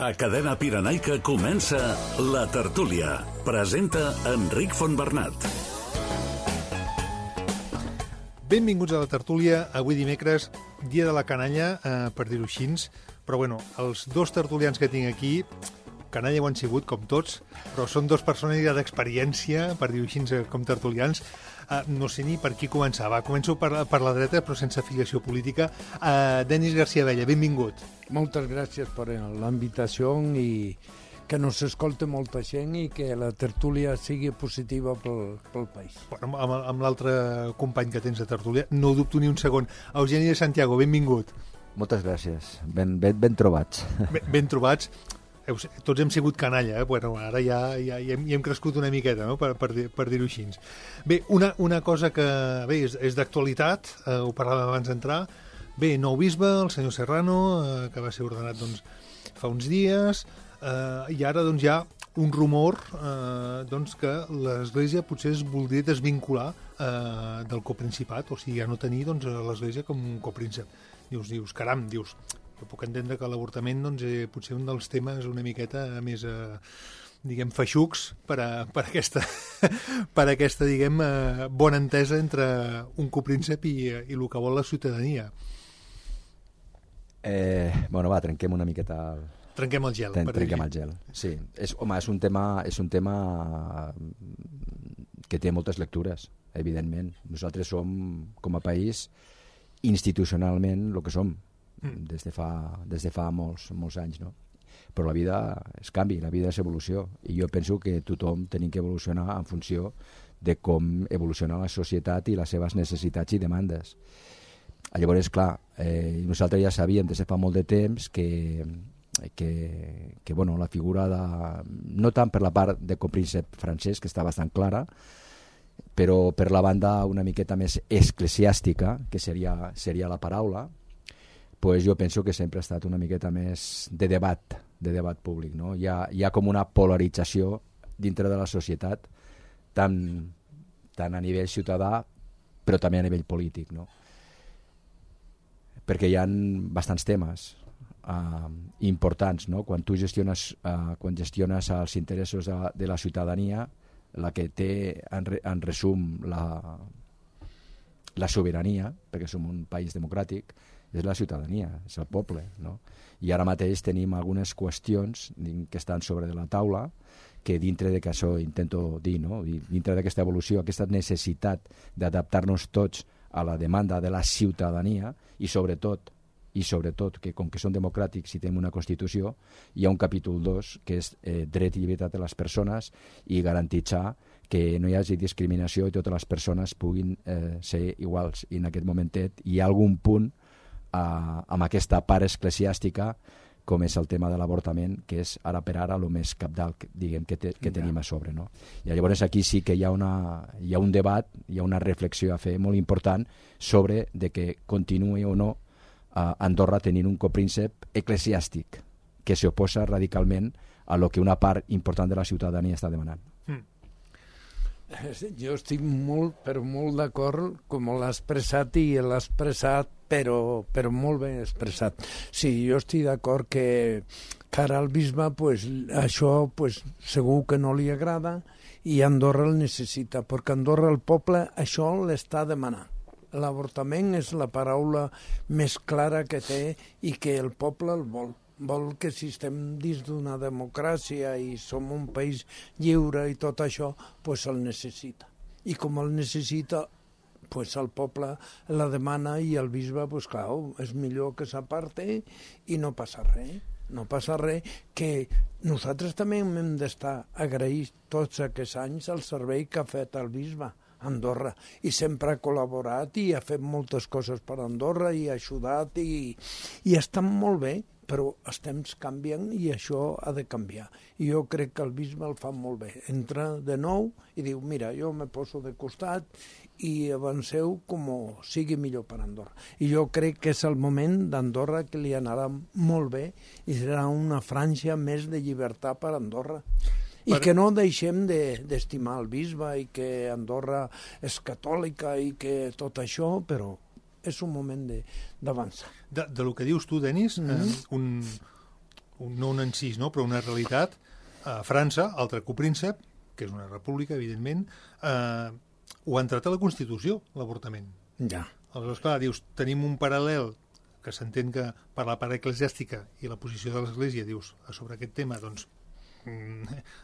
A Cadena Pirenaica comença La Tertúlia. Presenta Enric Fontbernat. Benvinguts a La Tertúlia. Avui dimecres, dia de la canalla, per dir-ho així. Però bueno, els dos tertulians que tinc aquí, canalla ho han sigut, com tots, però són dos persones d'experiència, per dir-ho així, com tertulians. No sé ni per qui començar. Va, començo per la dreta, però sense afiliació política. Denis García Abella, benvingut. Moltes gràcies per la invitació i que nos escolte molta gent i que la tertúlia sigui positiva pel país. Bueno, amb l'altre company que tens de tertúlia, no dubto ni un segon. Eugeni de Santiago, benvingut. Moltes gràcies. Ben trobats. Ben trobats. Tots hem sigut canalla, Bueno, ara ja hem crescut una miqueta, no? per dir-ho així. Bé, una cosa que és d'actualitat, ho parlàvem abans d'entrar. Bé, nou bisbe, el senyor Serrano, que va ser ordenat fa uns dies, i ara hi ha un rumor que l'Església potser es voldria desvincular del coprincipat, o sigui, ja no tenir l'Església com un copríncep. Dius, caram, jo puc entendre que l'avortament potser un dels temes una miqueta més, diguem, feixucs per aquesta, diguem, bona entesa entre un copríncep i el que vol la ciutadania. Bueno, va, trenquem una miqueta... Trenquem el gel. Trenquem el gel, sí. És un tema que té moltes lectures, evidentment. Nosaltres som, com a país, institucionalment el que som, des de fa molts anys, no? Però la vida és canvi, la vida és evolució, i jo penso que tothom tenim que evolucionar en funció de com evoluciona la societat i les seves necessitats i demandes. Llavors, clar, nosaltres ja sabíem des de fa molt de temps que la figura no tant per la part de copríncep francès, que està bastant clara, però per la banda una miqueta més eclesiàstica, que seria la paraula, pues jo penso que sempre ha estat una miqueta més de debat públic, no? Hi ha com una polarització dintre de la societat, tant a nivell ciutadà, però també a nivell polític, no? Perquè hi ha bastants temes importants, no? Quan tu gestiones els interessos de la ciutadania, la que té en resum la sobirania, perquè som un país democràtic, és la ciutadania, és el poble, no? I ara mateix tenim algunes qüestions que estan sobre de la taula, que dintre de que això intento dir, no? Dintre d'aquesta evolució, aquesta necessitat d'adaptar-nos tots a la demanda de la ciutadania i sobretot que com que són democràtics i tenim una Constitució, hi ha un capítol 2 que és dret i llibertat de les persones i garantitzar que no hi hagi discriminació i totes les persones puguin ser iguals. I en aquest momentet hi ha algun punt amb aquesta part eclesiàstica, com és el tema de l'avortament, que és ara per ara el més cabdal, diguem, que tenim a sobre, no? I llavors aquí sí que hi ha un debat, hi ha una reflexió a fer molt important sobre de que continuï o no Andorra tenint un copríncep eclesiàstic que s'oposa radicalment a lo que una part important de la ciutadania està demanant. Jo estic molt d'acord com l'ha expressat i l'ha expressat però molt ben expressat. Sí, jo estic d'acord que cara al bisbe això segur que no li agrada i Andorra el necessita, perquè Andorra el poble això l'està demanant. L'avortament és la paraula més clara que té i que el poble el vol. Vol que si estem dins d'una democràcia i som un país lliure i tot això, el necessita. I com el necessita, el poble la demana i el bisbe, clar, és millor que s'aparte i no passa res. No passa res, que nosaltres també hem d'estar agraïts tots aquests anys al servei que ha fet el bisbe a Andorra, i sempre ha col·laborat i ha fet moltes coses per Andorra i ha ajudat i està molt bé, però els temps canvien i això ha de canviar. I jo crec que el bisbe el fa molt bé. Entra de nou i diu, mira, jo me poso de costat i avanceu com sigui millor per Andorra. I jo crec que és el moment d'Andorra que li anarà molt bé i serà una franja més de llibertat per Andorra. I que no deixem d'estimar el bisbe i que Andorra és catòlica i que tot això, però és un moment d'avançar. De lo que dius tu, Denis, no un encís, no? Però una realitat. A França, altre copríncep, que és una república, evidentment, ho ha entrat a la Constitució, l'avortament. Ja. Aleshores, clar, dius, tenim un paral·lel que s'entén que per la part eclesiàstica i la posició de l'Església, dius, sobre aquest tema, doncs,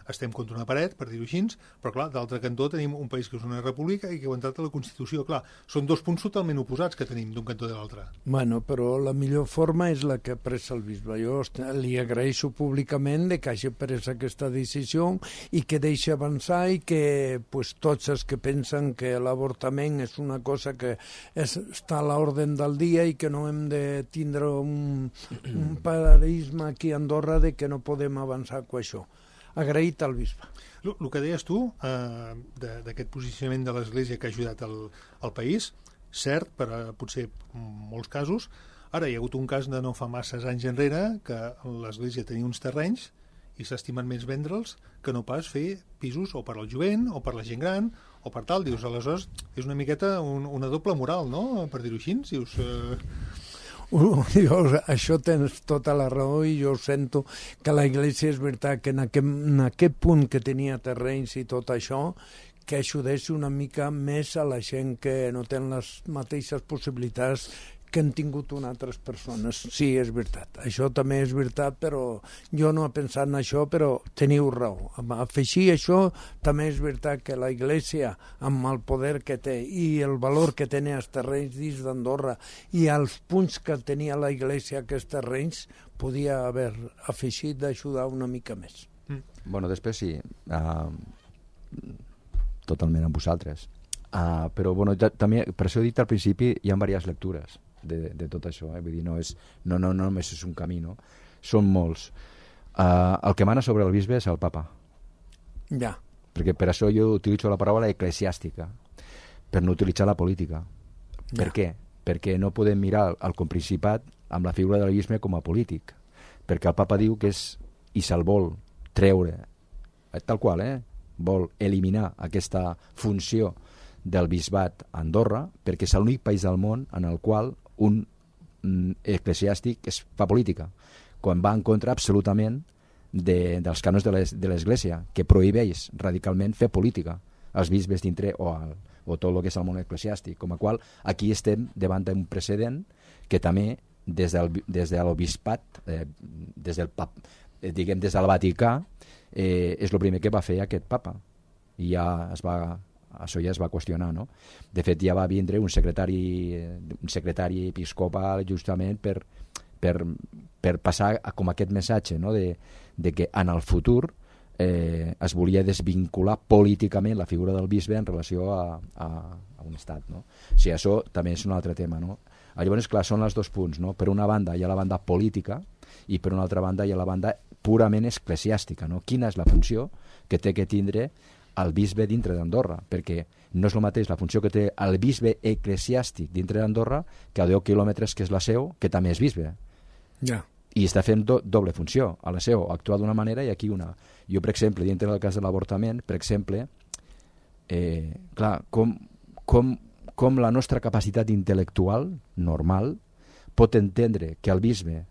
estem contra una paret, per dir-ho així, però clar, d'altre cantó tenim un país que és una república i que ho ha entrat a la Constitució. Clar, són dos punts totalment oposats que tenim d'un cantó de l'altre. Bueno, però la millor forma és la que ha pres el bisbe. Jo li agraeixo públicament de que hagi pres aquesta decisió i que deixi avançar i que pues, tots els que pensen que l'avortament és una cosa que està a l'ordre del dia i que no hem de tindre un paradigma aquí a Andorra de que no podem avançar amb això. Agraït al bisbe. El que deies tu, d'aquest posicionament de l'Església que ha ajudat al país, cert, per potser molts casos. Ara hi ha hagut un cas de no fa masses anys enrere que l'Església tenia uns terrenys i s'estimen més vendre'ls que no pas fer pisos o per al jovent o per la gent gran o per tal. Dius, aleshores, és una miqueta una doble moral, no?, per dir-ho així. Dius... Això tens tota la raó i jo sento que la Iglesia és veritat que en aquest punt que tenia terrenys i tot això, que ajudés una mica més a la gent que no té les mateixes possibilitats que han tingut altres persones. Sí, és veritat. Això també és veritat, però jo no he pensat en això, però teniu raó. Afegir això també és veritat que la Iglesia, amb el poder que té i el valor que tenia els terrenys dins d'Andorra i els punts que tenia la Iglesia aquests terrenys, podia haver afegit d'ajudar una mica més. Bueno, després sí, totalment amb vosaltres. Però bueno, també, per això he dit al principi, hi ha diverses lectures de tot això, vull dir, no només és un camí, no? Són molts. El que mana sobre el bisbe és el papa. Ja. Perquè per això jo utilitzo la paraula eclesiàstica, per no utilitzar la política. Ja. Per què? Perquè no podem mirar el Principat amb la figura del bisbe com a polític, perquè el papa diu que és, i se'l vol treure, tal qual, vol eliminar aquesta funció del bisbat a Andorra, perquè és l'únic país del món en el qual un eclesiàstic fa política, quan va en contra absolutament dels cànons de l'Església, que prohibeix radicalment fer política als bisbes dintre o tot el que és el món eclesiàstic, com a qual aquí estem davant d'un precedent que també des del bisbat, des del Vaticà, és el primer que va fer aquest papa, i això ja es va qüestionar, no? De fet, ja va vindre un secretari episcopal justament per passar com aquest missatge, no? de que en el futur es volia desvincular políticament la figura del bisbe en relació a un estat, no? O sigui, això també és un altre tema, no? Llavors, clar, són els dos punts, no? Per una banda hi ha la banda política i per una altra banda hi ha la banda purament eclesiàstica, no? Quina és la funció que té que tindre el bisbe dintre d'Andorra, perquè no és el mateix la funció que té el bisbe eclesiàstic dintre d'Andorra que a 10 quilòmetres que és la seu, que també és bisbe. Ja. I està fent doble funció. A la seu actua d'una manera i aquí una. Jo, per exemple, dintre del cas de l'avortament, per exemple, clar, com la nostra capacitat intel·lectual normal pot entendre que el bisbe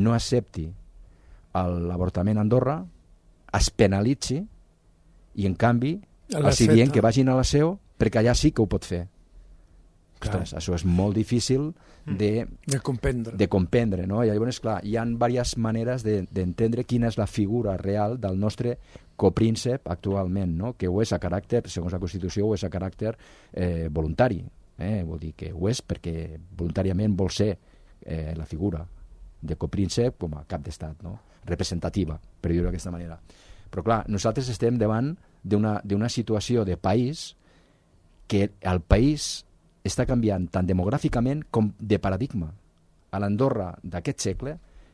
no accepti l'avortament a Andorra, es penalitzi i en canvi els dient que vagin a la seu perquè allà sí que ho pot fer. Ostres, això és molt difícil de comprendre, no? I llavors, clar, hi ha diverses maneres d'entendre quina és la figura real del nostre copríncep actualment, no? Que ho és a caràcter, segons la Constitució, ho és a caràcter voluntari. Vol dir que ho és perquè voluntàriament vol ser la figura de copríncep com a cap d'estat, no? Representativa, per dir-ho d'aquesta manera. Però clar, nosaltres estem davant d'una situació de país que el país està canviant tant demogràficament com de paradigma. A l'Andorra d'aquest segle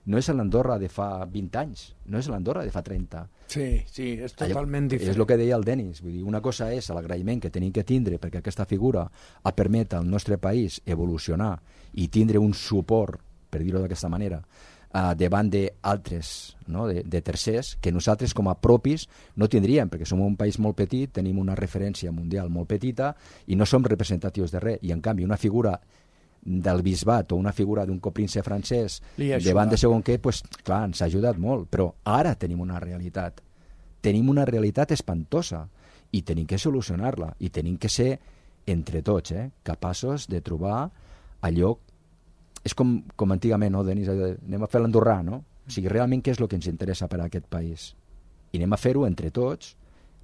no és l'Andorra de fa 20 anys, no és l'Andorra de fa 30. Sí, és totalment diferent. És el que deia el Denis, vull dir, una cosa és l'agraïment que tenim que tindre perquè aquesta figura ha permet al nostre país evolucionar i tindre un suport, per dir-ho d'aquesta manera, davant d'altres, no? de tercers, que nosaltres com a propis no tindríem, perquè som un país molt petit, tenim una referència mundial molt petita i no som representatius de res, i en canvi una figura del bisbat o una figura d'un copríncep francès davant de segon què, pues, clar, ens ha ajudat molt, però ara tenim una realitat espantosa i tenim que solucionar-la i tenim que ser entre tots capaços de trobar allò. És com antigament, no, Denis? Anem a fer l'andorrà, no? O sigui, realment què és el que ens interessa per a aquest país? I anem a fer-ho entre tots,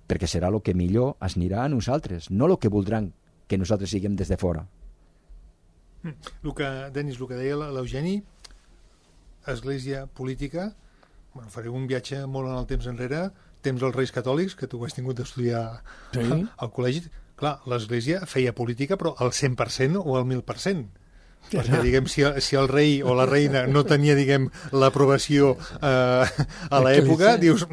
perquè serà el que millor es anirà a nosaltres, no el que voldran que nosaltres siguem des de fora. Denis, el que deia l'Eugeni, església política, bueno, faré un viatge molt en el temps enrere, temps dels Reis Catòlics, que tu has tingut d'estudiar al col·legi. Clar, l'església feia política, però al 100% o al 1.000%. Perquè, diguem, si el rei o la reina no tenia, diguem, l'aprovació a l'època, dius,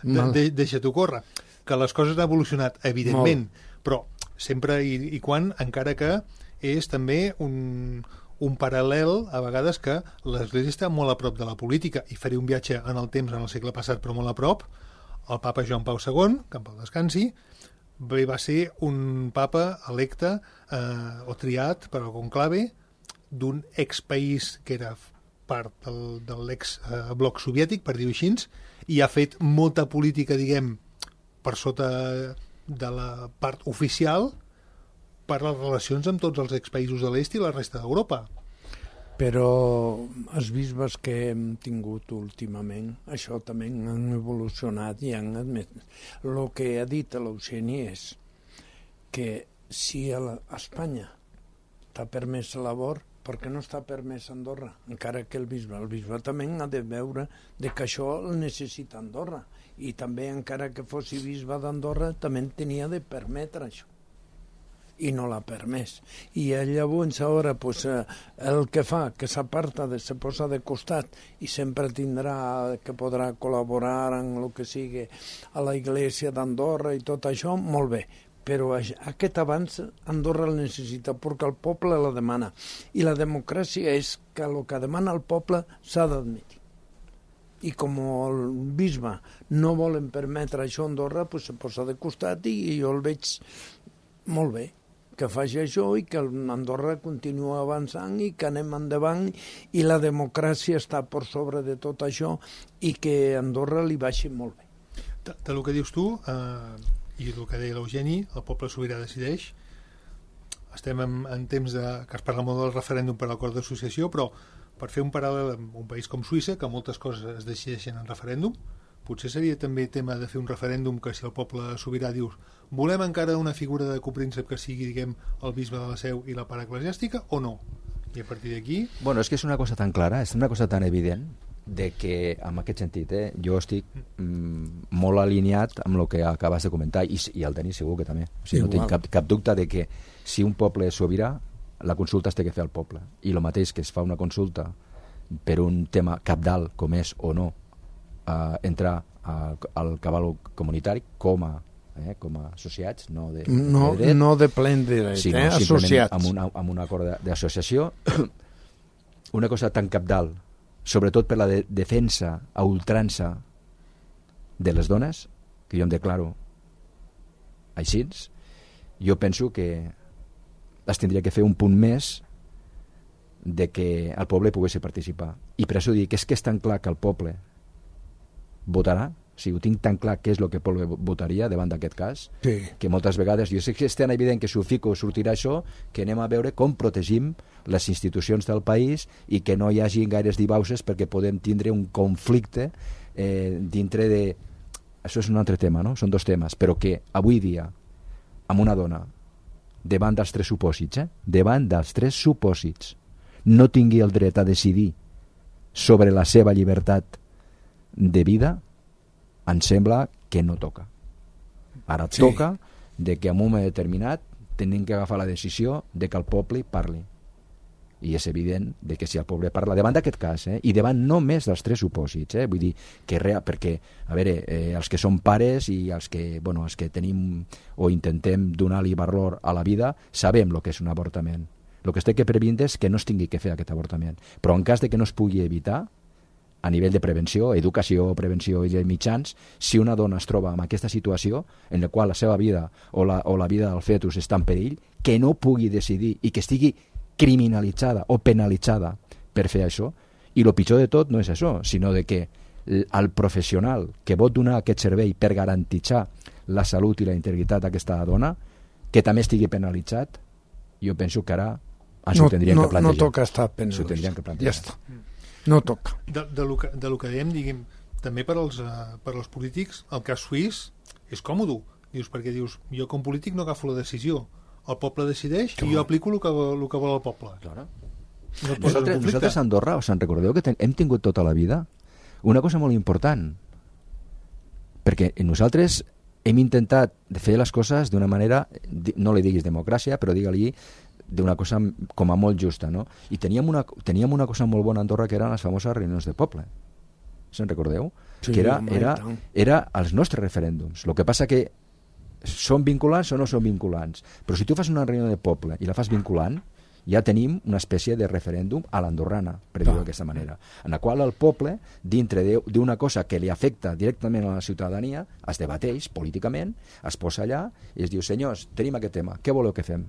deixa-t'ho córrer. Que les coses han evolucionat, evidentment, però sempre i quan, encara que és també un paral·lel, a vegades, que l'Església està molt a prop de la política, i faré un viatge en el temps, en el segle passat, però molt a prop. El papa Joan Pau II, que en pau descansi, va ser un papa electe o triat per al conclave d'un expaís que era part de l'ex-bloc soviètic, per dir-ho així, i ha fet molta política, diguem, per sota de la part oficial, per les relacions amb tots els expaïsos de l'est i la resta d'Europa. Però els bisbes que hem tingut últimament, això també han evolucionat i han admès. El que ha dit l'Eugeni és que si a Espanya està permès l'abort, per què no està permès a Andorra? Encara que el bisbe també ha de veure que això el necessita Andorra. I també, encara que fos bisbe d'Andorra, també tenia de permetre això. I no l'ha permès. I llavors ara el que fa, que s'aparta, se posa de costat i sempre tindrà que podrà col·laborar en el que sigui a la Iglesia d'Andorra i tot això, molt bé. Però aquest avanç Andorra el necessita perquè el poble la demana. I la democràcia és que el que demana el poble s'ha d'admetre. I com el bisbe no volen permetre això a Andorra, se posa de costat i jo el veig molt bé que faci això i que Andorra continua avançant i que anem endavant i la democràcia està per sobre de tot això i que Andorra li baixi molt bé. Del que dius tu i el que deia l'Eugeni, el poble sobirà decideix. Estem en temps que es parla molt del referèndum per l'acord d'associació, però per fer un paral·lel amb un país com Suïssa, que moltes coses es decideixen en referèndum, potser seria també tema de fer un referèndum que si el poble sobirà dius volem encara una figura de copríncep que sigui, diguem, el bisbe de la Seu i la part eclesiàstica o no? I a partir d'aquí... Bueno, és que és una cosa tan clara, és una cosa tan evident de que, en aquest sentit, jo estic molt alineat amb el que acabes de comentar i el Denis segur que també. O sigui, no tinc cap dubte de que si un poble és sobirà, la consulta es té que fer al poble. I el mateix que es fa una consulta per un tema cabdal com és o no entrar al cabal comunitari com a associats, no de dret, no de plen dret, sinó associats. Amb un acord d'associació. Una cosa tan cabdal, sobretot per la defensa a ultrança de les dones, que jo em declaro així, jo penso que es tindria que fer un punt més de que el poble pogués participar. I per això dic que és tan clar que el poble votarà, o sigui, ho tinc tan clar què és el que el poble votaria davant d'aquest cas, que moltes vegades jo sé que és tan evident que si ho fico sortirà això, que anem a veure com protegim les institucions del país i que no hi hagi gaires divauses perquè podem tindre un conflicte dintre de... Això és un altre tema, no? Són dos temes, però que avui dia amb una dona davant dels tres supòsits, davant dels tres supòsits, no tingui el dret a decidir sobre la seva llibertat de vida, em sembla que no toca. Ara toca de que en un moment determinat tenim que agafar la decisió de que el poble parli. I és evident de que si el poble parla davant d'aquest cas, i davant només dels tres supòsits, vull dir que perquè, a veure, els que som pares i els que tenim o intentem donar-li valor a la vida, sabem el que és un avortament. El que es té que previndre és que no es tingui que fer aquest avortament. Però en cas de que no es pugui evitar, a nivell de prevenció, educació, prevenció i de mitjans, si una dona es troba en aquesta situació en la qual la seva vida o la vida del fetus està en perill, que no pugui decidir i que estigui criminalitzada o penalitzada per fer això, i el pitjor de tot no és això, sinó de que el professional que pot donar aquest servei per garantitzar la salut i la integritat d'aquesta dona, que també estigui penalitzat, jo penso que ara s'ho tindrien que plantejar. No toca estar penalitzat. S'ho tindrien que plantejar. Ja està. No toca. De lo que dèiem, diguem, també per als polítics, el cas suís és còmode. Dius, perquè dius, jo com polític no agafo la decisió. El poble decideix i jo aplico el que vol el poble. Claro. No Nosaltres a Andorra, us en recordeu que hem tingut tota la vida una cosa molt important, perquè nosaltres hem intentat fer les coses d'una manera, no li diguis democràcia, però digue-li d'una cosa com a molt justa, no? I teníem una cosa molt bona a Andorra, que eren les famoses reunions de poble. Se'n recordeu? Sí, que era els nostres referèndums. El que passa que són vinculants o no són vinculants. Però si tu fas una reunió de poble i la fas vinculant, ja tenim una espècie de referèndum a l'andorrana, per dir-ho d'aquesta manera, en la qual el poble, dintre d'una cosa que li afecta directament a la ciutadania, es debateix políticament, es posa allà i es diu, senyors, tenim aquest tema, què voleu que fem?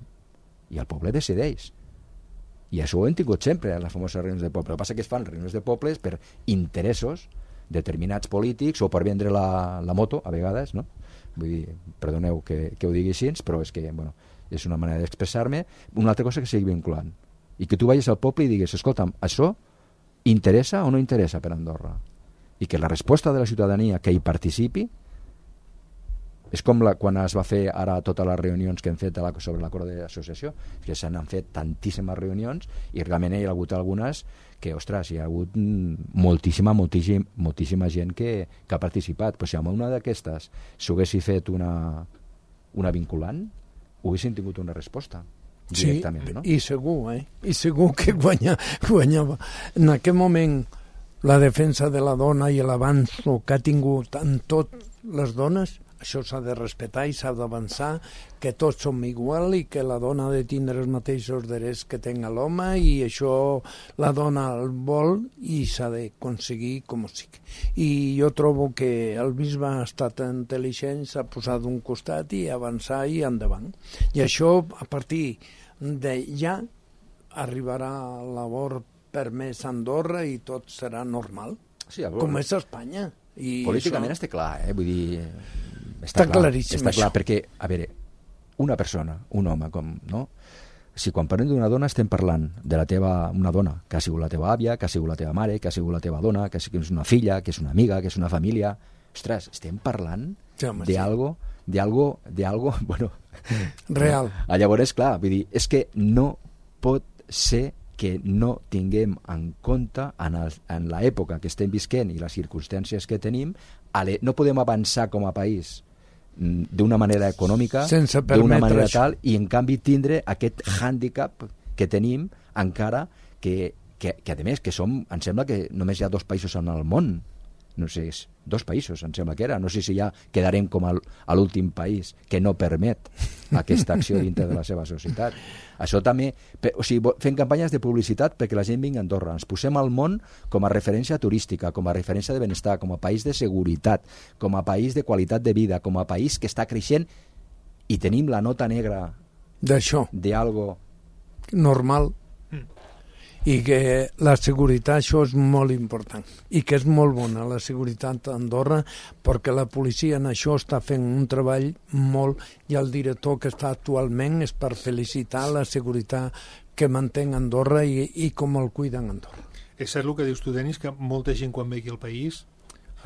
I el poble decideix. I això ho hem tingut sempre en les famoses reunions de poble. El que passa que es fan reunions de pobles per interessos determinats polítics o per vendre la moto, a vegades, no? Vull dir, perdoneu que ho digui així, però és que, bueno, és una manera d'expressar-me. Una altra cosa que sigui vinculant. I que tu vagis al poble i digues, escolta'm, això interessa o no interessa per Andorra? I que la resposta de la ciutadania que hi participi és com quan es va fer ara totes les reunions que hem fet sobre l'acord d'associació, que se n'han fet tantíssimes reunions i realment hi ha hagut algunes que, ostres, hi ha hagut moltíssima gent que ha participat. Però si amb una d'aquestes s'haguessi fet una vinculant, haguessin tingut una resposta directament, no? I segur, I segur que guanyava. En aquest moment, la defensa de la dona i l'avanç que ha tingut en tot les dones, això s'ha de respectar i s'ha d'avançar, que tots som igual i que la dona ha de tindre els mateixos drets que tenga l'home, i això la dona el vol i s'ha d'aconseguir com sigui. I jo trobo que el bisbe ha estat intel·ligent, s'ha posat d'un costat i avançar i endavant. I això, a partir d'allà, arribarà a l'abort permès a Andorra i tot serà normal, sí, com és a Espanya. I políticament està clar, vull dir... Està claríssim, està clar, perquè, a veure, una persona, un home, no? Si quan parlem d'una dona estem parlant de una dona que ha sigut la teva àvia, que ha sigut la teva mare, que ha sigut la teva dona, que és una filla, que és una amiga, que és una família... Ostres, estem parlant d'algo, bueno... real. Llavors, clar, vull dir, és que no pot ser que no tinguem en compte en l'època que estem visquent i les circumstàncies que tenim, no podem avançar com a país d'una manera econòmica, d'una manera tal, i en canvi tindre aquest hàndicap que tenim encara que a més que em sembla que només hi ha 2 països en el món, no sé, 2 països em sembla que era, no sé si ja quedarem com a l'últim país que no permet aquesta acció dintre de la seva societat. Això també, o sigui, fent campanyes de publicitat perquè la gent vingui a Andorra, ens posem al món com a referència turística, com a referència de benestar, com a país de seguretat, com a país de qualitat de vida, com a país que està creixent, i tenim la nota negra d'això, d'algo normal, i que la seguretat, això és molt important, i que és molt bona la seguretat a Andorra, perquè la policia en això està fent un treball molt, i el director que està actualment és per felicitar la seguretat que manten Andorra i com el cuiden Andorra. És cert el que dius tu, Denis, que molta gent quan ve aquí al país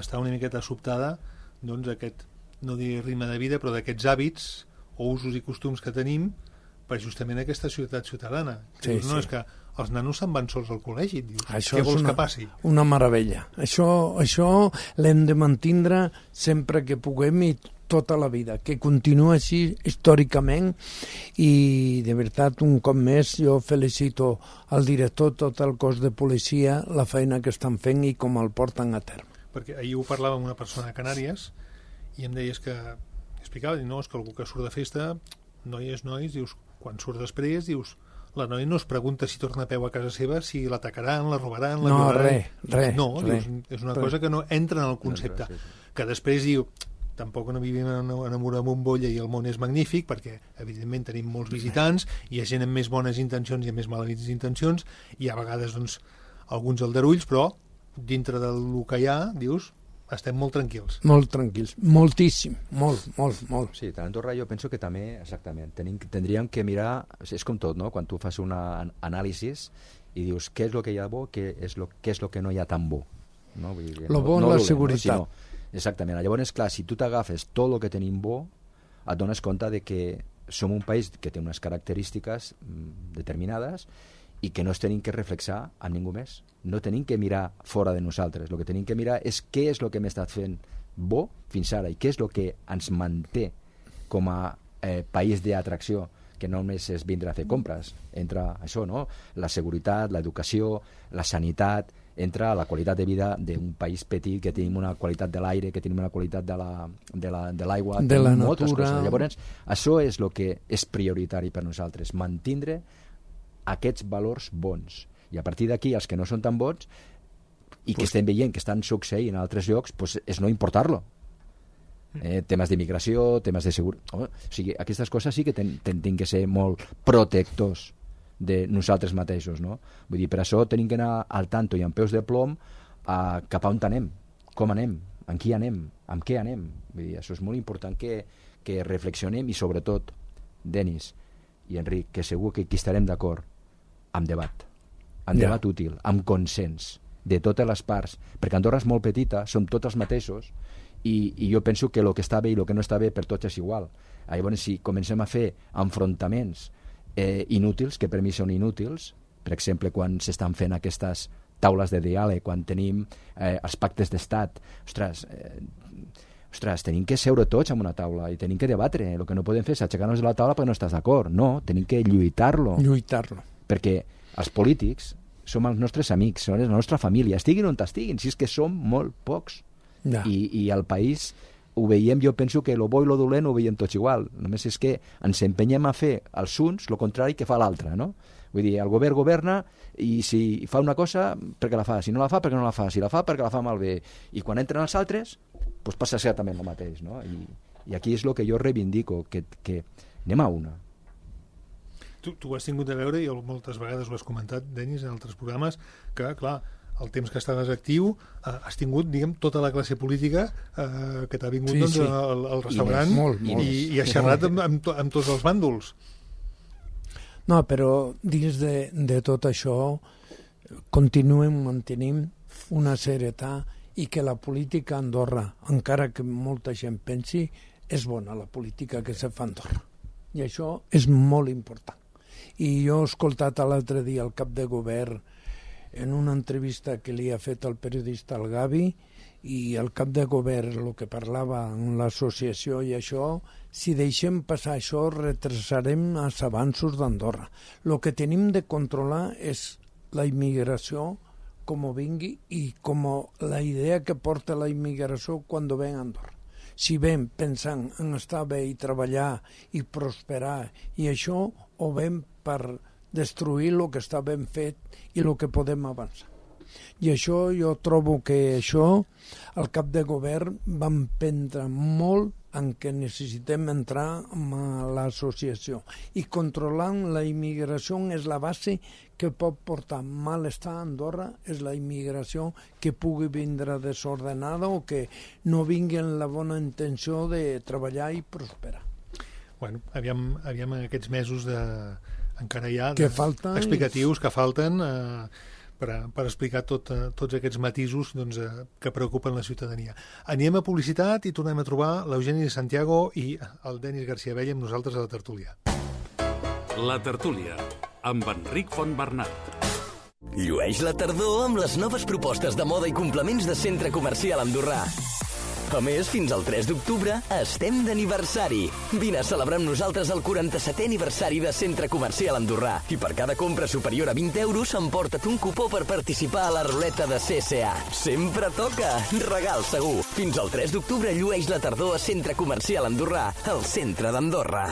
està una miqueta sobtada, doncs aquest, no diré ritme de vida, però d'aquests hàbits o usos i costums que tenim per justament aquesta ciutat ciutadana. Sí, dius, no, és que els nanos se'n van sols al col·legi, dius, això què vols que passi? Una meravella. Això l'hem de mantindre sempre que puguem i tota la vida, que continua així històricament, i de veritat, un cop més, jo felicito al director, tot el cos de policia, la feina que estan fent i com el porten a terme. Perquè ahir ho parlava amb una persona a Canàries i em deies que, explicava, no, és que algú que surt de festa, nois, dius, quan surt després, dius, la noia no es pregunta si torna a peu a casa seva, si l'atacaran, la robaran, la violaran. Res. No, dius, és una cosa que no entra en el concepte. Que després diu, tampoc no vivim en una bombolla i el món és magnífic, perquè evidentment tenim molts visitants, hi ha gent amb més bones intencions i amb més males intencions, i a vegades doncs, alguns aldarulls, però dintre del que hi ha, dius, estem molt tranquils. Molt tranquils, moltíssim, molt. Sí, a Andorra jo penso que també, exactament, tindríem que mirar, és com tot, no? Quan tu fas un anàlisi i dius què és el que hi ha bo, què és el que no hi ha tan bo. No? Vull dir, lo bo és la seguretat. No? Exactament. Llavors, clar, si tu t'agafes tot el que tenim bo, et dones compte de que som un país que té unes característiques determinades i que no es tenim que reflexar amb ningú més. No tenim que mirar fora de nosaltres. El que tenim que mirar és què és el que hem estat fent bo fins ara i què és el que ens manté com a país d'atracció, que no només és vindre a fer compres. Entra això, no? La seguretat, l'educació, la sanitat, entra la qualitat de vida d'un país petit, que tenim una qualitat de l'aire, que tenim una qualitat de l'aigua, de la moltes natura. Coses. Llavors, això és el que és prioritari per nosaltres, mantindre aquests valors bons. I a partir d'aquí, els que no són tan bons i que estem veient que estan succeint en altres llocs, pues, és no importar-lo. Temes d'immigració, temes de seguretat... O sigui, aquestes coses sí que tenim que ser molt protectors de nosaltres mateixos, no? Vull dir, per això tenim que anar al tanto i amb peus de plom cap a on anem, com anem, amb qui anem, amb què anem. Vull dir, això és molt important que reflexionem i sobretot, Denis i Enric, que segur que aquí estarem d'acord, amb debat. Amb debat útil, amb consens de totes les parts, perquè Andorra és molt petita, som tots els mateixos, i jo penso que el que està bé i el que no està bé per tots és igual. Llavors, si comencem a fer enfrontaments inútils, que per mi són inútils, per exemple, quan s'estan fent aquestes taules de diàleg, quan tenim els pactes d'estat, ostres, tenim que seure tots en una taula i tenim que debatre. El que no podem fer és aixecar-nos de la taula perquè no estàs d'acord. No, tenim que lluitar-lo. Perquè els polítics som els nostres amics, són la nostra família, estiguin on estiguin, si és que som molt pocs. Ja. I al país ho veiem, jo penso que lo bo i lo dolent ho veiem tots igual, només és que ens empenyem a fer els uns el contrari que fa l'altre, no? Vull dir, el govern governa i si fa una cosa, perquè la fa, si no la fa, perquè no la fa, si la fa, perquè la fa malbé, i quan entren els altres, doncs passa exactament el mateix, no? I aquí és el que jo reivindico, que anem a una. Tu ho has tingut a veure, i moltes vegades ho has comentat, Denis, en altres programes, que, clar, el temps que estaves actiu has tingut, diguem, tota la classe política que t'ha vingut doncs, al restaurant i has xerrat amb tots els bàndols. No, però dins de tot això mantenim una serietat i que la política a Andorra, encara que molta gent pensi, és bona la política que se fa a Andorra. I això és molt important. I jo he escoltat l'altre dia el cap de govern en una entrevista que li ha fet el periodista al Gavi, i el cap de govern el que parlava en l'associació i això, si deixem passar això retrasarem els avanços d'Andorra. El que tenim de controlar és la immigració com vingui i com la idea que porta la immigració quan ven a Andorra. Si ven pensant en estar bé i treballar i prosperar i això, o ven per destruir el que està ben fet i el que podem avançar. I això jo trobo que això el cap de govern va emprendre molt en què necessitem entrar a l'associació i controlant la immigració és la base que pot portar malestar a Andorra, és la immigració que pugui vindre desordenada o que no vingui amb la bona intenció de treballar i prosperar. Bueno, aviam en aquests mesos encara hi ha explicatius que falten per explicar tots aquests matisos doncs, que preocupen la ciutadania. Anem a publicitat i tornem a trobar l'Eugeni Santiago i el Denis García Bella amb nosaltres a la tertúlia. La tertúlia, amb Enric Fontbernat. Llueix la tardor amb les noves propostes de moda i complements de Centre Comercial Andorrà. A més, fins al 3 d'octubre estem d'aniversari. Vine a celebrar amb nosaltres el 47è aniversari de Centre Comercial Andorrà. I per cada compra superior a 20 euros emporta't un cupó per participar a la ruleta de CSA. Sempre toca! Regal segur! Fins al 3 d'octubre llueix la tardor a Centre Comercial Andorrà, al centre d'Andorra.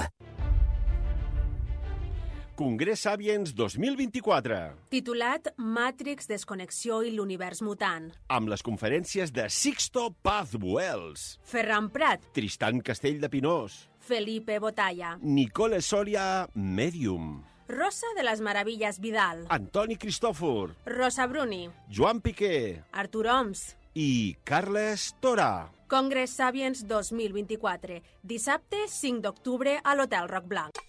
Congrés Sapiens 2024. Titulat Matrix, Desconnexió i l'univers mutant. Amb les conferències de Sixto Paz Wells, Ferran Prat, Tristan Castell de Pinós, Felipe Botalla, Nicole Soria, Medium, Rosa de les Meravilles Vidal, Antoni Cristòfor, Rosa Bruni, Joan Piqué Artur Oms. i Carles Torà. Congrés Sapiens 2024, dissabte 5 d'octubre a l'Hotel Roc Blanc.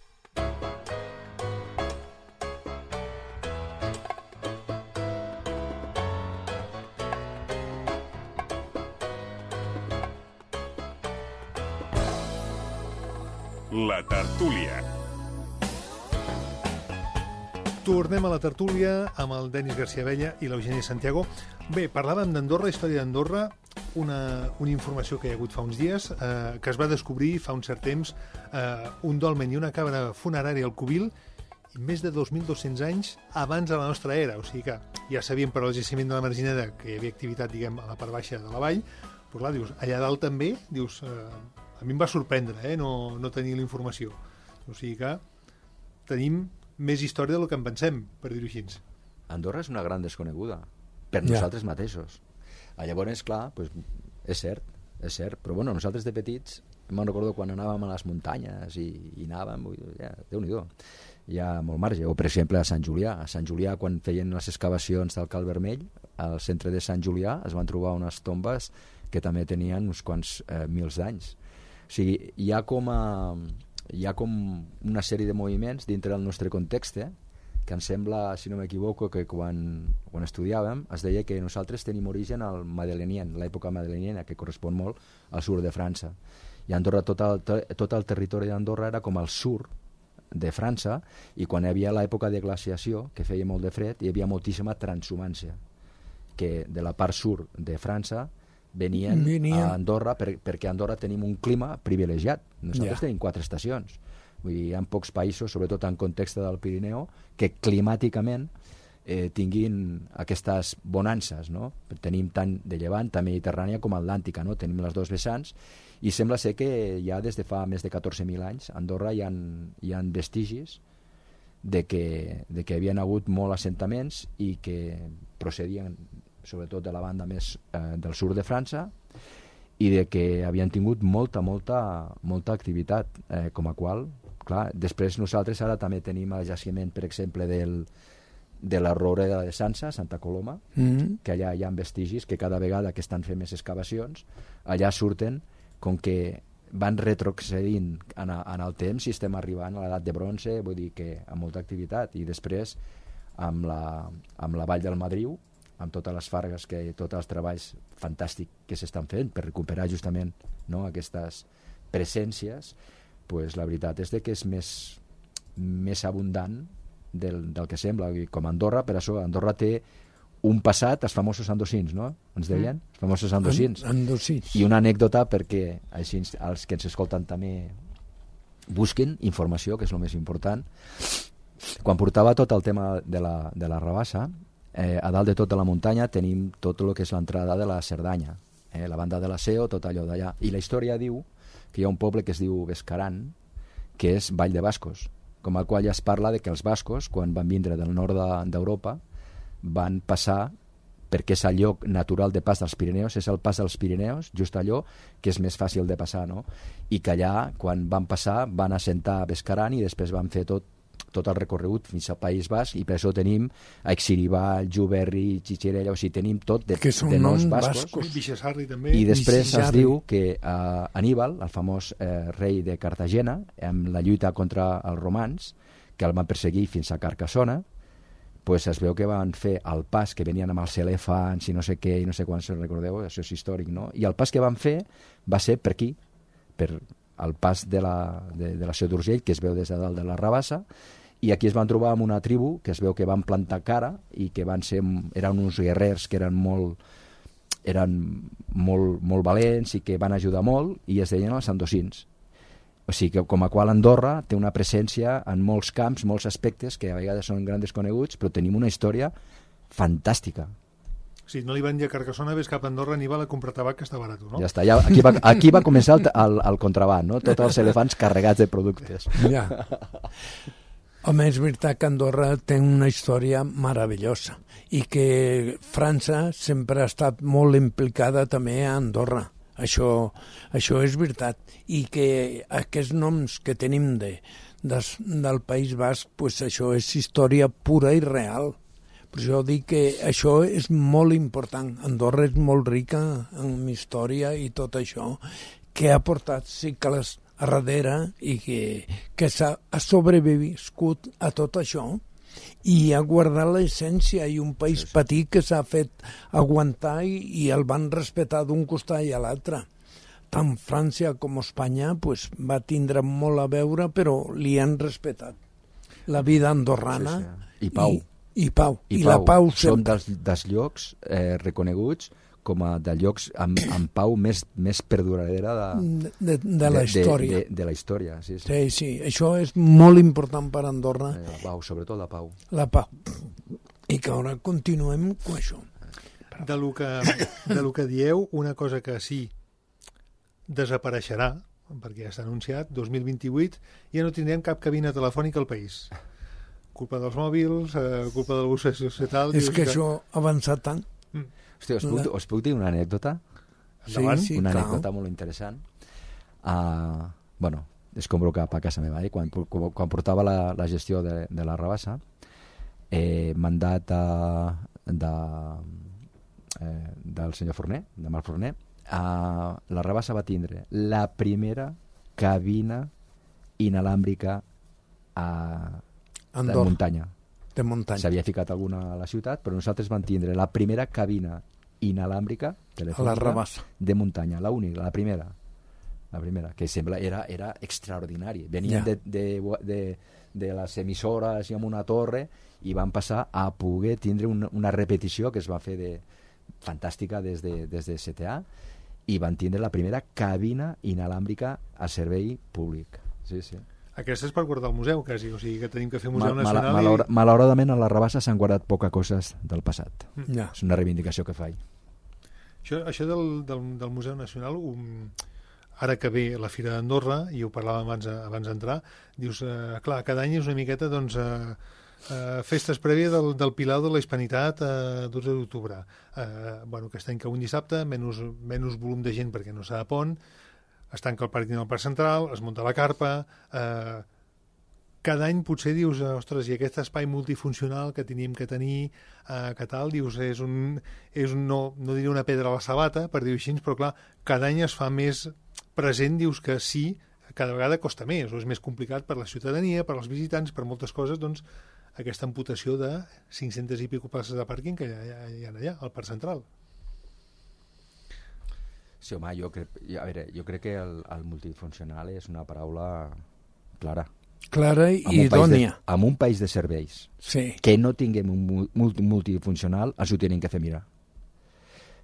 La tertúlia. Tornem a la tertúlia amb el Denis García Abella i l'Eugeni Santiago. Bé, parlàvem d'Andorra, història d'Andorra, una informació que hi ha hagut fa uns dies, que es va descobrir fa un cert temps un dolmen i una cabra funerària al Cubil, i més de 2.200 anys abans de la nostra era. O sigui que ja sabíem per al jaciment de la Margineda que hi havia activitat, diguem, a la part baixa de la vall, però clar, dius, allà dalt també, dius, a mi em va sorprendre, no tenir la informació. O sigui que tenim més història del que en pensem, per dir-ho així. Andorra és una gran desconeguda, per nosaltres mateixos. Llavors, clar, pues, és cert, però bueno, nosaltres de petits, me'n recordo quan anàvem a les muntanyes i anàvem, Déu-n'hi-do, hi ha molt marge. O, per exemple, a Sant Julià. A Sant Julià, quan feien les excavacions del Cal Vermell, al centre de Sant Julià es van trobar unes tombes que també tenien uns quants mils d'anys. O sigui, hi ha com una sèrie de moviments dintre del nostre context, que em sembla, si no m'equivoco, que quan estudiàvem es deia que nosaltres tenim origen al Madelenien, l'època madeleniana, que correspon molt al sud de França. I Andorra, tot el territori d'Andorra era com al sud de França, i quan hi havia l'època de glaciació, que feia molt de fred, hi havia moltíssima transhumància, que de la part sud de França venien a Andorra perquè a Andorra tenim un clima privilegiat. Nosaltres tenim 4 estacions. Vull dir, hi ha pocs països, sobretot en context del Pirineu, que climàticament tinguin aquestes bonances, no? Tenim tant de llevant, tant mediterrània com atlàntica, no? Tenim les dos vessants, i sembla ser que ja des de fa més de 14.000 anys a Andorra hi ha vestigis de que hi havien hagut molts assentaments i que procedien sobretot de la banda més del sud de França, i de que havien tingut molta activitat, com a qual, clar, després nosaltres ara també tenim el jaciment, per exemple, de la Roureda de Sansa, Santa Coloma, que allà hi ha vestigis que cada vegada que estan fent més excavacions, allà surten com que van retrocedint en el temps i estem arribant a l'edat de bronze, vull dir que amb molta activitat. I després amb la Vall del Madriu, amb totes les fargues, tots els treballs fantàstics que s'estan fent per recuperar justament, no, aquestes presències, pues, la veritat és que és més abundant del que sembla. Com Andorra, per això Andorra té un passat, els famosos andosins, no? Ens deien? Els famosos andosins. I una anècdota perquè així els que ens escolten també busquin informació, que és el més important. Quan portava tot el tema de la rabassa, a dalt de tota la muntanya tenim tot el que és l'entrada de la Cerdanya, la banda de la Seo, tot allò d'allà. I la història diu que hi ha un poble que es diu Bescaran, que és Vall de Bascos, com el qual ja es parla de que els bascos, quan van vindre del nord d'Europa, van passar, perquè és el lloc natural de pas dels Pirineus, és el pas dels Pirineus, just allò que és més fàcil de passar, no? I que allà, quan van passar, van assentar a Bescaran i després van fer tot el recorregut fins al País Basc, i per això tenim Aixiribal, Juberri, Xixerella, o sigui, tenim tot de noms bascos. Bixasarri també. I després es diu que Aníbal, el famós rei de Cartagena, amb la lluita contra els romans, que el van perseguir fins a Carcassona, pues es veu que van fer el pas, que venien amb els elefants i no sé què, i no sé quan se'n recordeu, això és històric, no? I el pas que van fer va ser per aquí, per el pas de la Seu d'Urgell, que es veu des de dalt de la Rabassa, i aquí es van trobar amb una tribu que es veu que van plantar cara i que eren uns guerrers que eren molt valents i que van ajudar molt, i es deien els andosins. O sigui que, com a qual Andorra té una presència en molts camps, molts aspectes que a vegades són grans desconeguts, però tenim una història fantàstica. Sí, no li van dir a Carcassona, ves cap a Andorra, Aníbal, a comprar tabac, que està barat, no? Ja està, aquí va començar el contraban, no? Tots els elefants carregats de productes. Ja. Home, és veritat que Andorra té una història meravellosa i que França sempre ha estat molt implicada també a Andorra. Això és veritat. I que aquests noms que tenim del País Basc, pues això és història pura i real. Per això dic que això és molt important. Andorra és molt rica en història i tot això que ha portat cicles a darrere i que ha sobreviscut a tot això i ha guardat l'essència, i un país petit que s'ha fet aguantar i el van respectar d'un costat i a l'altre. Tant França com Espanya pues, va tindre molt a veure, però li han respectat la vida andorrana. I pau. I pau. I la pau som dels llocs reconeguts com a de llocs amb pau més perduradora de la història. De la història, sí. Sí, això és molt important per Andorra. La pau, sobretot la pau. La pau. I que ara continuem amb això. De lo que dieu, una cosa que sí desapareixerà, perquè ja s'ha anunciat, 2028, ja no tindrem cap cabina telefònica al país. Culpa dels mòbils, culpa del bus social... És que això ha avançat tant. Hòstia, us puc dir una anècdota? Sí, una anècdota molt interessant. Bueno, escombro cap a casa meva. Quan portava la gestió de la Rabassa, mandat del senyor Forner, de Marc Forner, la Rabassa va tindre la primera cabina inalàmbrica de muntanya. De muntanya. S'havia ficat alguna a la ciutat, però nosaltres vam tindre la primera cabina inalàmbrica de muntanya, la única, la primera, que sembla era extraordinari. Venien de les emissores i amb una torre i van passar a poder tindre una repetició que es va fer fantàstica des de CTA, i van tindre la primera cabina inalàmbrica a servei públic. Sí. Aquesta és per guardar el museu, quasi, o sigui que tenim que fer Museu Nacional. Malauradament a la Rabassa s'han guardat poca coses del passat. És una reivindicació que faig. Això del Museu Nacional, ara que ve la Fira d'Andorra, i ho parlàvem abans d'entrar, dius, clar, cada any és una miqueta, doncs, festes prèvies del Pilar de la Hispanitat a 12 d'octubre. Aquest any que un dissabte, menys volum de gent perquè no s'ha de pont, es tanca el pàrquing del Parc Central, es munta la carpa... Cada any potser dius, ostres, i aquest espai multifuncional que tenim que tenir, que tal, dius, és no diria una pedra a la sabata, per dir-ho així, però clar, cada any es fa més present, dius que sí, cada vegada costa més, o és més complicat per la ciutadania, per als visitants, per moltes coses, doncs, aquesta amputació de 500 i pico places de pàrquing que hi ha allà, al Parc Central. Sí, home, jo crec que el multifuncional és una paraula clara i idònia. En un país de serveis que no tinguem un multifuncional ens ho tenim que fer mirar,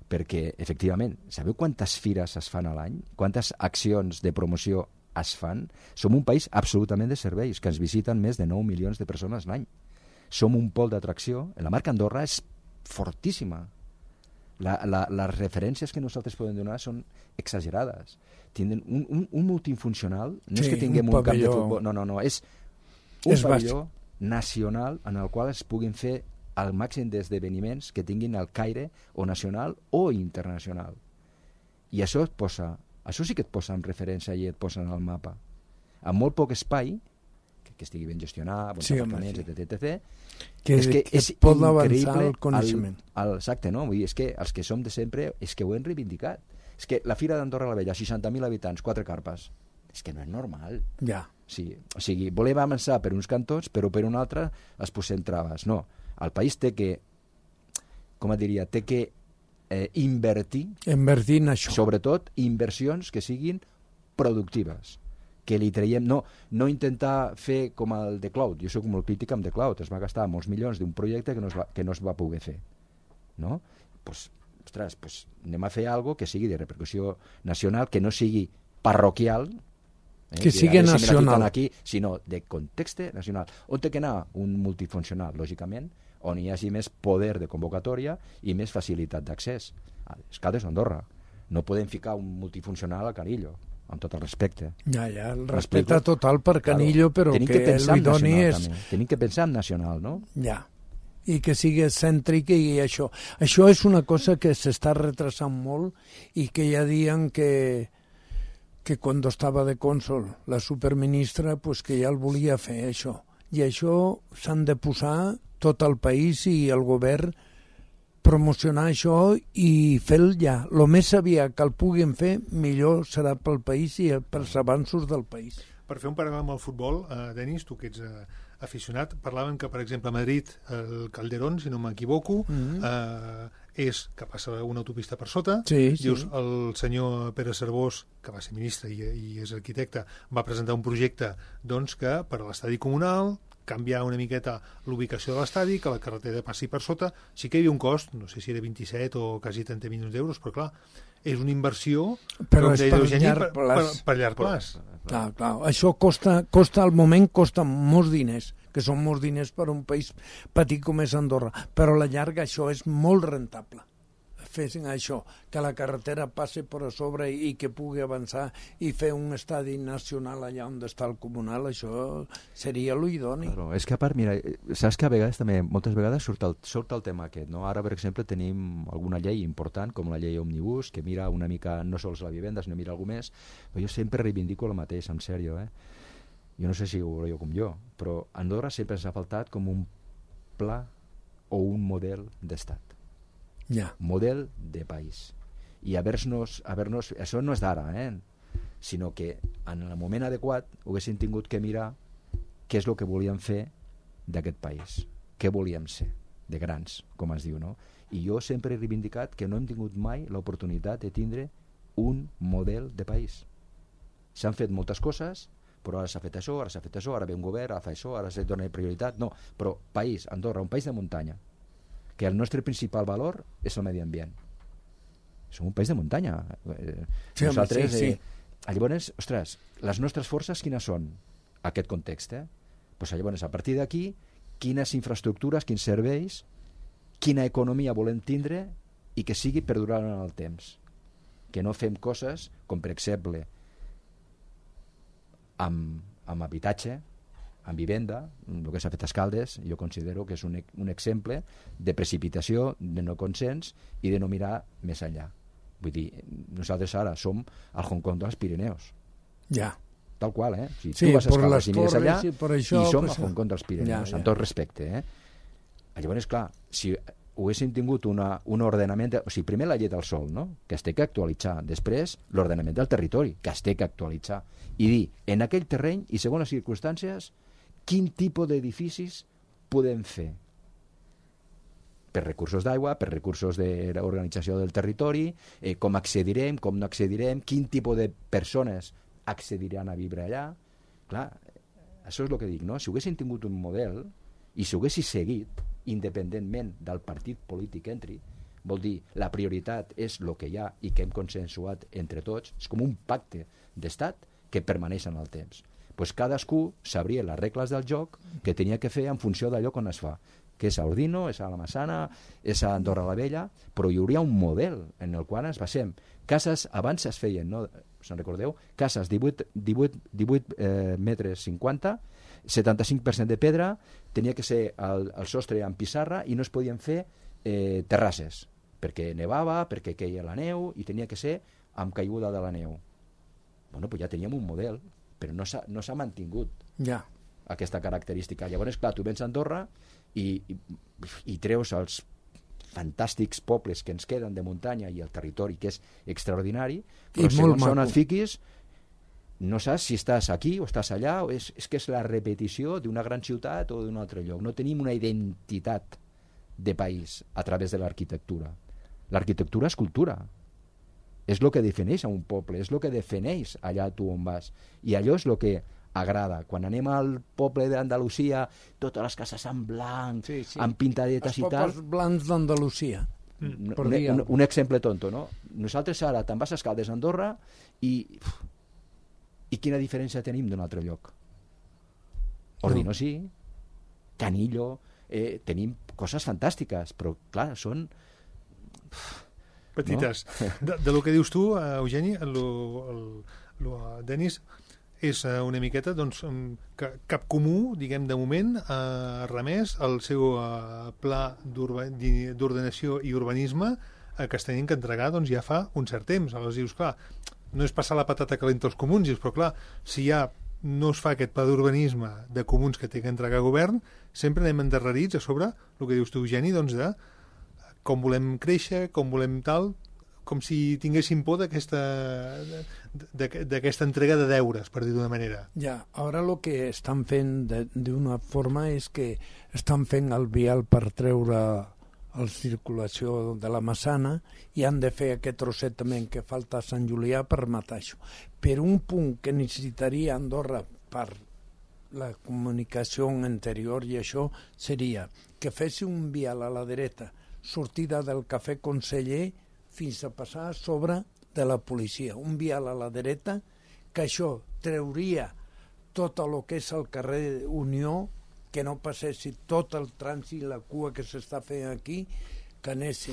perquè efectivament, sabeu quantes fires es fan a l'any? Quantes accions de promoció es fan? Som un país absolutament de serveis, que ens visiten més de 9 milions de persones l'any. Som un pol d'atracció. La marca Andorra és fortíssima. Les referències que nosaltres podem donar són exagerades. Tindran un multifuncional, no és que tinguem un camp de futbol, no, és un pavelló nacional en el qual es puguin fer el màxim d'esdeveniments que tinguin el caire o nacional o internacional. I això sí que et posa en referència i et posa en el mapa. Amb molt poc espai, que estigui ben gestionat, bons apartaments, etc. Que es pot avançar el coneixement. Exacte, no? Vull dir, és que els que som de sempre és que ho hem reivindicat. És que la Fira d'Andorra la Vella, 60.000 habitants, 4 carpes. És que no és normal. Ja. Sí, o sigui, volem avançar per uns cantons, però per un altre es posem traves. No, el país té que, com et diria, té que invertir en això. Sobretot inversions que siguin productives, que li traiem, no intentar fer com el The Cloud. Jo soc molt crític amb The Cloud, es va gastar molts milions d'un projecte que no es va poder fer, no? Ostres, anem a fer alguna que sigui de repercussió nacional, que no sigui parroquial, que sigui nacional aquí, sinó de context nacional, on té que anar un multifuncional, lògicament, on hi hagi més poder de convocatòria i més facilitat d'accés. Els Caldes d'Andorra. No podem ficar un multifuncional al Carillo. amb tot el respecte. Ja, el respecte total per Canillo, però que li doni és... Tenim que pensar en nacional, no? Ja, i que sigui cèntric i això. Això és una cosa que s'està retrasant molt i que ja diuen que quan estava de cònsol la superministra, pues que ja el volia fer, això. I això s'han de posar tot el país i el govern promocionar això i fer-lo ja. El més aviat que el puguin fer, millor serà pel país i pels avanços del país. Per fer un paral·lel amb el futbol, Denis, tu que ets aficionat, parlaven que, per exemple, a Madrid, el Calderón, si no m'equivoco, és que passa una autopista per sota. Dius, el senyor Pere Servós, que va ser ministre i és arquitecte, va presentar un projecte doncs, que per a l'estadi comunal canviar una miqueta l'ubicació de l'estadi, que la carretera passi per sota. Sí que hi havia un cost, no sé si era 27 o quasi 30 milions d'euros, però clar, és una inversió però és per llarg plaç. Per llarg plaç. Clar. Això costa al moment costa molts diners, que són molts diners per un país petit com és Andorra, però a la llarga això és molt rentable. Fessin això, que la carretera passi per a sobre i que pugui avançar i fer un estadi nacional allà on està el comunal, això seria l'idoni. Claro, és que a part, mira, saps que a vegades també, moltes vegades surt el tema aquest, no? Ara, per exemple, tenim alguna llei important, com la llei Òmnibus, que mira una mica no sols la vivenda, sinó mira alguna més, però jo sempre reivindico el mateix, en sèrio, Jo no sé si ho veureu com jo, però a Andorra sempre ens ha faltat com un pla o un model d'estat. Model de país. I haver-nos això no és d'ara, sinó que en el moment adequat haguéssim tingut que mirar què és el que volíem fer d'aquest país, què volíem ser, de grans, com es diu, no? I jo sempre he reivindicat que no hem tingut mai l'oportunitat de tindre un model de país. S'han fet moltes coses, però ara s'ha fet això, ara ve un govern, ara fa això, ara se dona prioritat. No, però país, Andorra, un país de muntanya, que el nostre principal valor és el medi ambient. Som un país de muntanya. Nosaltres, llavors, ostres, les nostres forces quines són? Aquest context, Pues llavors, a partir d'aquí, quines infraestructures, quins serveis, quina economia volem tindre i que sigui perdurant en el temps. Que no fem coses com, per exemple, amb habitatge, en vivenda, el que s'ha fet a Escaldes, jo considero que és un exemple de precipitació, de no consens i de no mirar més enllà. Vull dir, nosaltres ara som al Hong Kong dels Pirineus. Tal qual, Si tu vas a Escaldes i mires allà, i som al Hong Kong dels Pirineus, amb tot respecte, Llavors, clar, si haguéssim tingut un ordenament, o sigui, primer la llei del sòl, no? Que es té que actualitzar, després l'ordenament del territori, que es té que actualitzar, i dir, en aquell terreny i segons les circumstàncies, quin tipus d'edificis podem fer per recursos d'aigua, per recursos d'organització del territori, com accedirem, com no accedirem, quin tipus de persones accediran a viure allà. Clar, això és el que dic, no? Si haguéssim tingut un model i si haguéssim seguit, independentment del partit polític que entri, vol dir, la prioritat és el que hi ha i que hem consensuat entre tots, és com un pacte d'estat que permaneix en el temps. Pues cadascú sabria les regles del joc que tenia que fer en funció d'allò on es fa, que és a Ordino, és a la Massana, és a Andorra la Vella, però hi hauria un model en el qual ens basem. Cases abans es feien, no? Se'n recordeu? Cases 18 metres 50, 75% de pedra, tenia que ser el sostre amb pissarra i no es podien fer terrasses, perquè nevava, perquè queia la neu i tenia que ser amb caiguda de la neu. Bueno, pues ja teníem un model, però no s'ha mantingut aquesta característica. Llavors, clar, tu vens a Andorra i treus els fantàstics pobles que ens queden de muntanya i el territori, que és extraordinari, però segons on et fiquis no saps si estàs aquí o estàs allà, o és que és la repetició d'una gran ciutat o d'un altre lloc. No tenim una identitat de país a través de l'arquitectura. L'arquitectura és cultura. És el que defineix a un poble, és el que defineix allà tu on vas. I allò és el que agrada. Quan anem al poble d'Andalusia, totes les cases en blanc, amb pintadetes i tal... Els pobles blancs d'Andalusia. Un exemple tonto, no? Nosaltres ara te'n vas a Escaldes, Andorra, i quina diferència tenim d'un altre lloc? Ordino sí, Canillo, tenim coses fantàstiques, però clar, són... petites. No? De lo que dius tu, Eugeni, Denis, és una miqueta doncs, que Cap Comú, diguem, de moment ha remès el seu pla d'ordenació i urbanisme que es tenien que entregar doncs, ja fa un cert temps. Aleshores dius, clar, no és passar la patata calenta als comuns, dius, però clar, si ja no es fa aquest pla d'urbanisme de comuns que té que entregar govern, sempre anem endarrerits a sobre el que dius tu, Eugeni, doncs, de com volem créixer, com volem tal, com si tinguéssim por d'aquesta entrega de deures, per dir d'una manera. Ja, ara el que estan fent d'una forma és que estan fent el vial per treure la circulació de la Massana i han de fer aquest trosset també que falta a Sant Julià per matar això. Per un punt que necessitaria Andorra per la comunicació interior i això seria que fessi un vial a la dreta, sortida del Cafè Conseller fins a passar a sobre de la policia. Un vial a la dreta, que això treuria tot el que és el carrer Unió, que no passessi tot el trànsit i la cua que s'està fent aquí, que anessi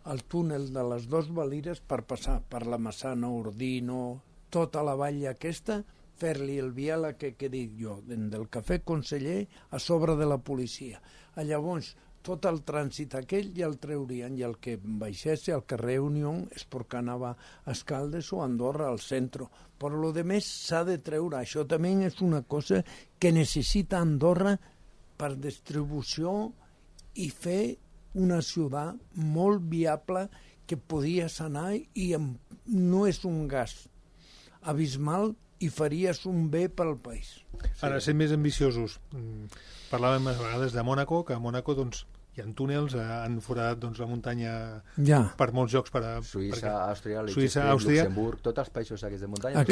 al túnel de les Dos Valires per passar per la Massana, Ordino, tota la vall aquesta, fer-li el vial que dic jo, del Cafè Conseller a sobre de la policia. Llavors, tot el trànsit aquell ja el treurien i el que baixés al carrer Unió és perquè anava a Escaldes o a Andorra al centre. Però lo de més s'ha de treure. Això també és una cosa que necessita Andorra per distribució i fer una ciutat molt viable que podies anar i no és un gas abismal i faries un bé pel país. Ara, sent més ambiciosos, parlàvem a vegades de Mònaco, que a Mònaco doncs, hi ha túnels, han foradat doncs, la muntanya per molts jocs. Suïssa, Àustria, Luxemburg, tots els països aquests de muntanya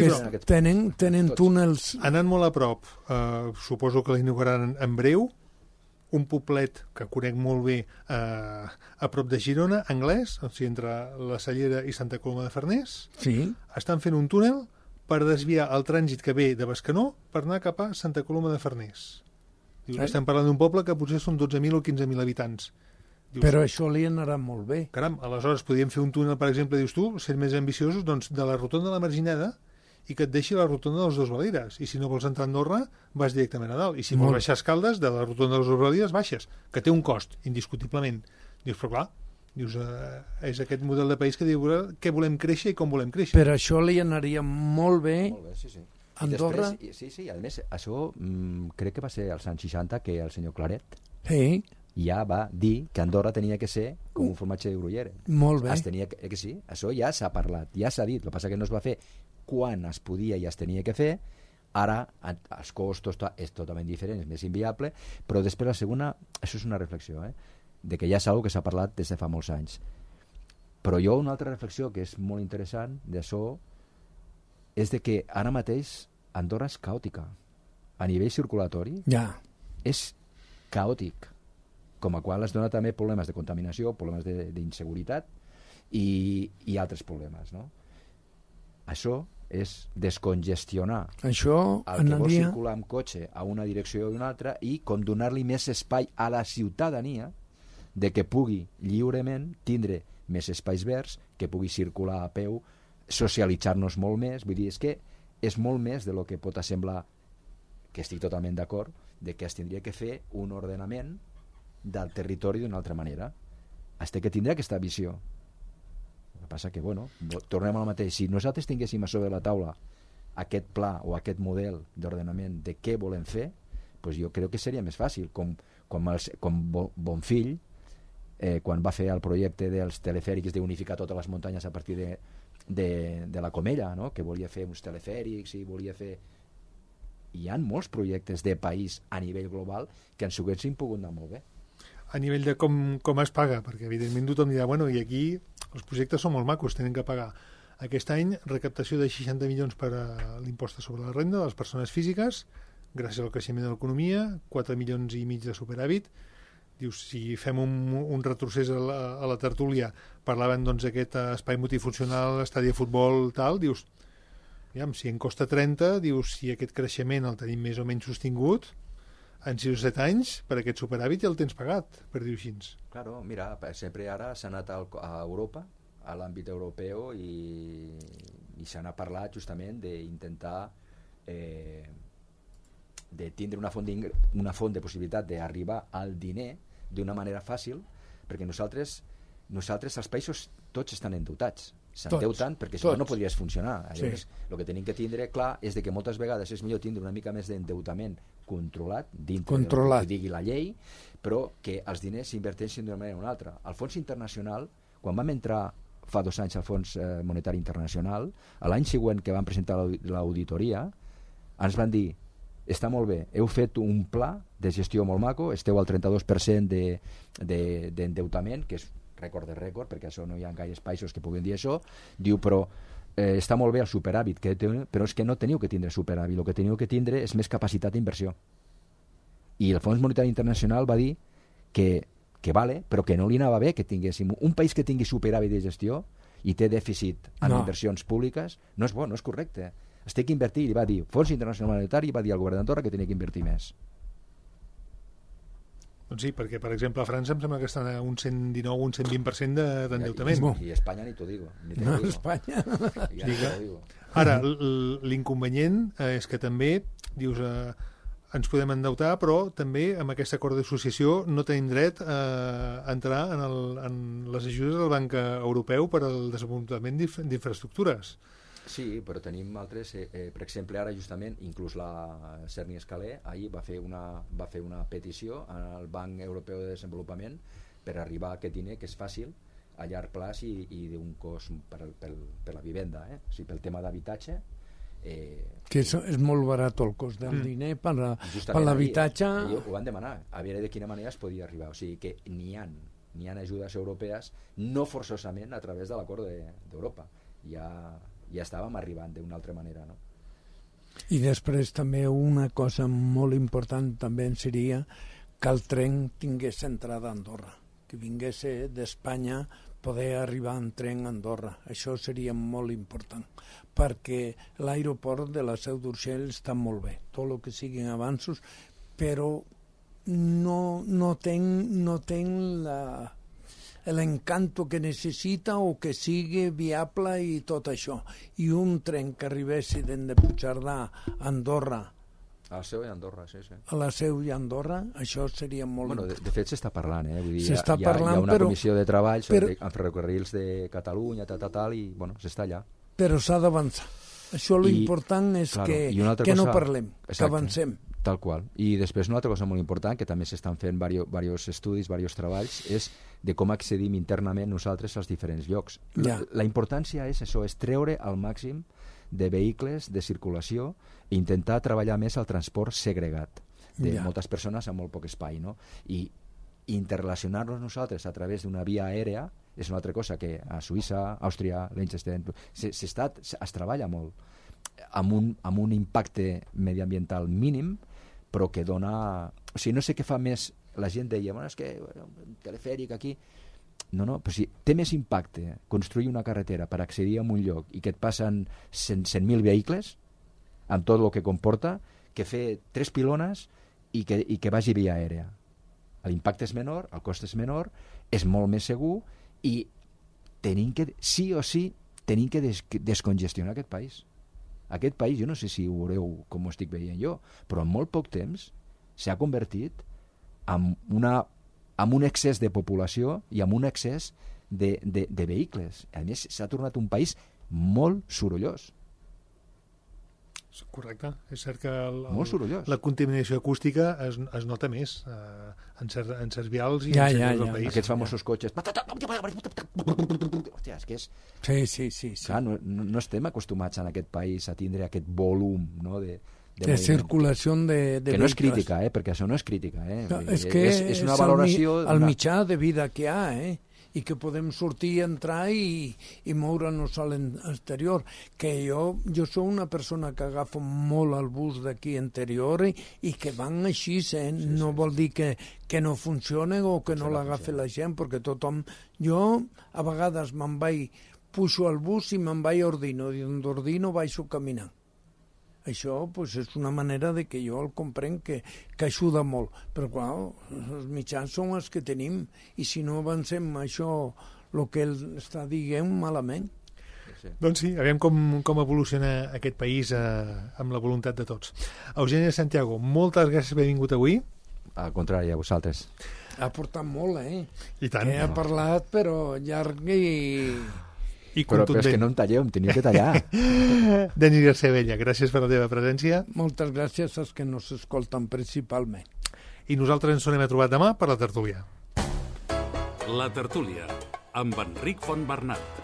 tenen túnels. Anant molt a prop, suposo que l'inauguraran en breu, un poblet que conec molt bé a prop de Girona, Anglès, o sigui, entre la Cellera i Santa Coloma de Farners, estan fent un túnel per desviar el trànsit que ve de Bescanó per anar cap a Santa Coloma de Farners. Estem parlant d'un poble que potser són 12.000 o 15.000 habitants. Però això li anarà molt bé. Caram, aleshores podríem fer un túnel, per exemple, dius tu, ser més ambiciosos, doncs de la rotonda de la Marginada i que et deixi la rotonda dels Dos Valires. I si no vols entrar a Andorra, vas directament a dalt. I si vols baixar Escaldes, de la rotonda dels Dos Valires baixes, que té un cost, indiscutiblement. Dius, però clar, és aquest model de país que diu què volem créixer i com volem créixer. Per això li anaria molt bé, sí. Andorra. Després, sí, a més, això crec que va ser als anys 60 que el senyor Claret ja va dir que Andorra tenia que ser com un formatge de Gruyère. Molt bé. Que sí, això ja s'ha parlat, ja s'ha dit, el que passa que no es va fer quan es podia i es tenia que fer. Ara els costos és totalment diferent, és més inviable, però després la segona, això és una reflexió, de que ja és una que s'ha parlat des de fa molts anys. Però jo una altra reflexió que és molt interessant d'això és de que ara mateix Andorra és caòtica. A nivell circulatori és caòtic, com a qual es dona també problemes de contaminació, problemes d'inseguretat i altres problemes, no? Això és descongestionar el que vol circular amb cotxe a una direcció o una altra i com donar-li més espai a la ciutadania de que pugui lliurement tindre més espais verds, que pugui circular a peu, socialitzar-nos molt més. Vull dir, és que és molt més de lo que pot semblar, que estic totalment d'acord, de que es tindria que fer un ordenament del territori d'una altra manera. Es té que tindre aquesta visió. El que passa que, bueno, tornem al mateix. Si nosaltres tinguéssim a sobre la taula aquest pla o aquest model d'ordenament de què volem fer, doncs jo crec que seria més fàcil. Com Bonfill, quan va fer el projecte dels telefèrics d'unificar totes les muntanyes a partir de la Comella, no? Que volia fer uns telefèrics i volia fer... Hi ha molts projectes de país a nivell global que ens haguessin pogut anar molt bé. A nivell de com es paga, perquè evidentment tothom dirà, bueno, i aquí els projectes són molt macos, tenen que pagar. Aquest any, recaptació de 60 milions per a l'impost sobre la renda de les persones físiques, gràcies al creixement de l'economia, 4 milions i mig de superàvit. Dius, si fem un retrocés a la tertúlia, parlaven doncs d'aquest espai multifuncional, estadi de futbol, tal, dius, si en costa 30, dius, si aquest creixement el tenim més o menys sostingut, en 6 o 7 anys, per aquest superàvit ja el tens pagat, per dir-ho així. Claro, mira, sempre ara s'ha anat a Europa, a l'àmbit europeu, i i se n'ha parlat justament d'intentar de tindre una font de possibilitat d'arribar al diner d'una manera fàcil, perquè nosaltres els països tots estan endeutats, s'endeuten perquè si no, no podries funcionar. Llavors, el que tenim que tindre clar és que moltes vegades és millor tindre una mica més d'endeutament controlat, dintre del que digui la llei, però que els diners s'inverteixin d'una manera o una altra. El Fons Internacional, quan vam entrar fa 2 anys al Fons Monetari Internacional, l'any següent que vam presentar l'auditoria, ens van dir: està molt bé, heu fet un pla de gestió molt maco, esteu al 32% d'endeutament, que és rècord de rècord, perquè això no hi ha gaires països que puguin dir això. Diu, però està molt bé el superàvit, però és que no teniu que tindre superàvit, el que teniu que tindre és més capacitat d'inversió. I el Fons Monetari Internacional va dir que vale, però que no li anava bé que tinguéssim un país que tingui superàvit de gestió i té dèficit en inversions públiques. No és bo, no és correcte. Es té que invertir, i va dir Fons Internacional Monetari, va dir al govern d'Andorra que tenia que invertir més. Doncs sí, perquè, per exemple, a França em sembla que estan a un 119 o un 120% d'endeutament. I Espanya ni t'ho digo. No, Espanya. Ara, l'inconvenient és que també, dius, ens podem endeutar, però també amb aquest acord d'associació no tenim dret a entrar en les ajudes del Banc Europeu per al desenvolupament d'infraestructures. Sí, però tenim altres, per exemple, ara justament, inclús la Cerny Escalé ahir va fer una petició al Banc Europeu de Desenvolupament per arribar a aquest diner, que és fàcil, a llarg plaç i d'un cost per la vivenda, o sigui, pel tema d'habitatge. Que és molt barat el cost del diner per l'habitatge. Ho van demanar, a veure de quina manera es podia arribar. O sigui que n'hi ha ajudes europees, no forçosament a través de l'acord d'Europa. Ja estàvem arribant d'una altra manera, no? I després també una cosa molt important també seria que el tren tingués entrada a Andorra, que vingués d'Espanya poder arribar en tren a Andorra. Això seria molt important, perquè l'aeroport de la Seu d'Urgell està molt bé, tot el que siguin avanços, però no ten l'encanto que necessita o que sigui viable i tot això. I un tren que arribessi de Puigcerdà a Andorra, a la Seu i Andorra, sí. A la Seu i Andorra, això seria molt important. De fet, s'està parlant, Vull dir, s'està parlant, hi ha una comissió de treball amb ferrocarrils de Catalunya, i, s'està allà. Però s'ha d'avançar. Això l'important és que no parlem, que avancem. Tal qual. I després una altra cosa molt important, que també s'estan fent diversos estudis, diversos treballs, és de com accedim internament nosaltres als diferents llocs. La importància és això, és treure al màxim de vehicles de circulació i intentar treballar més el transport segregat de moltes persones amb molt poc espai, no? I interrelacionar-nos nosaltres a través d'una via aèrea és una altra cosa que a Suïssa, Àustria, Liechtenstein es treballa molt amb un impacte mediambiental mínim, però que dona... O sigui, no sé què fa més... La gent deia, és que un telefèric aquí... No, però si té més impacte construir una carretera per accedir a un lloc i que et passen 100.000 vehicles, amb tot el que comporta, que fer 3 pilones i que vagi via aèrea. L'impacte és menor, el cost és menor, és molt més segur i tenim que, sí o sí, tenim que descongestionar aquest país. Aquest país, jo no sé si ho veureu com ho estic veient jo, però en molt poc temps s'ha convertit en un excés de població i en un excés de vehicles. A més, s'ha tornat un país molt sorollós. Correcte. És cert que molt sorollós. La contaminació acústica es nota més en certs vials i en certs del país. Aquests famosos cotxes... Hòstia, és que és... Sí. Clar, no estem acostumats en aquest país a tindre aquest volum, no, de circulació de que no és crítica, perquè això no és crítica, és que és una valoració el mitjà de vida que hi ha, i que podem sortir, entrar i moure'ns a l'exterior. Que jo soc una persona que agafo molt el bus d'aquí interior i que van així, no vol dir que no funcione o que no l'agafi la gent, perquè tothom... Jo a vegades pujo al bus i me'n vaig a Ordino, i d'Ordino baixo caminant. Això és una manera de que jo el comprenc que ajuda molt, però clar, els mitjans són els que tenim i si no avancem això, el que ell està dient, malament. Doncs sí, aviam com evoluciona aquest país amb la voluntat de tots. Eugeni Santiago, moltes gràcies per haver vingut avui. Al contrari, a vosaltres. Ha portat molt, I tant. Ha parlat, però llarg i Però és que no em talleu, em teniu que tallar. Denis García Abella, gràcies per la teva presència. Moltes gràcies als que nos escolten principalment. I nosaltres ens tornem a trobar demà per la tertúlia. La tertúlia, amb Enric Fontbernat.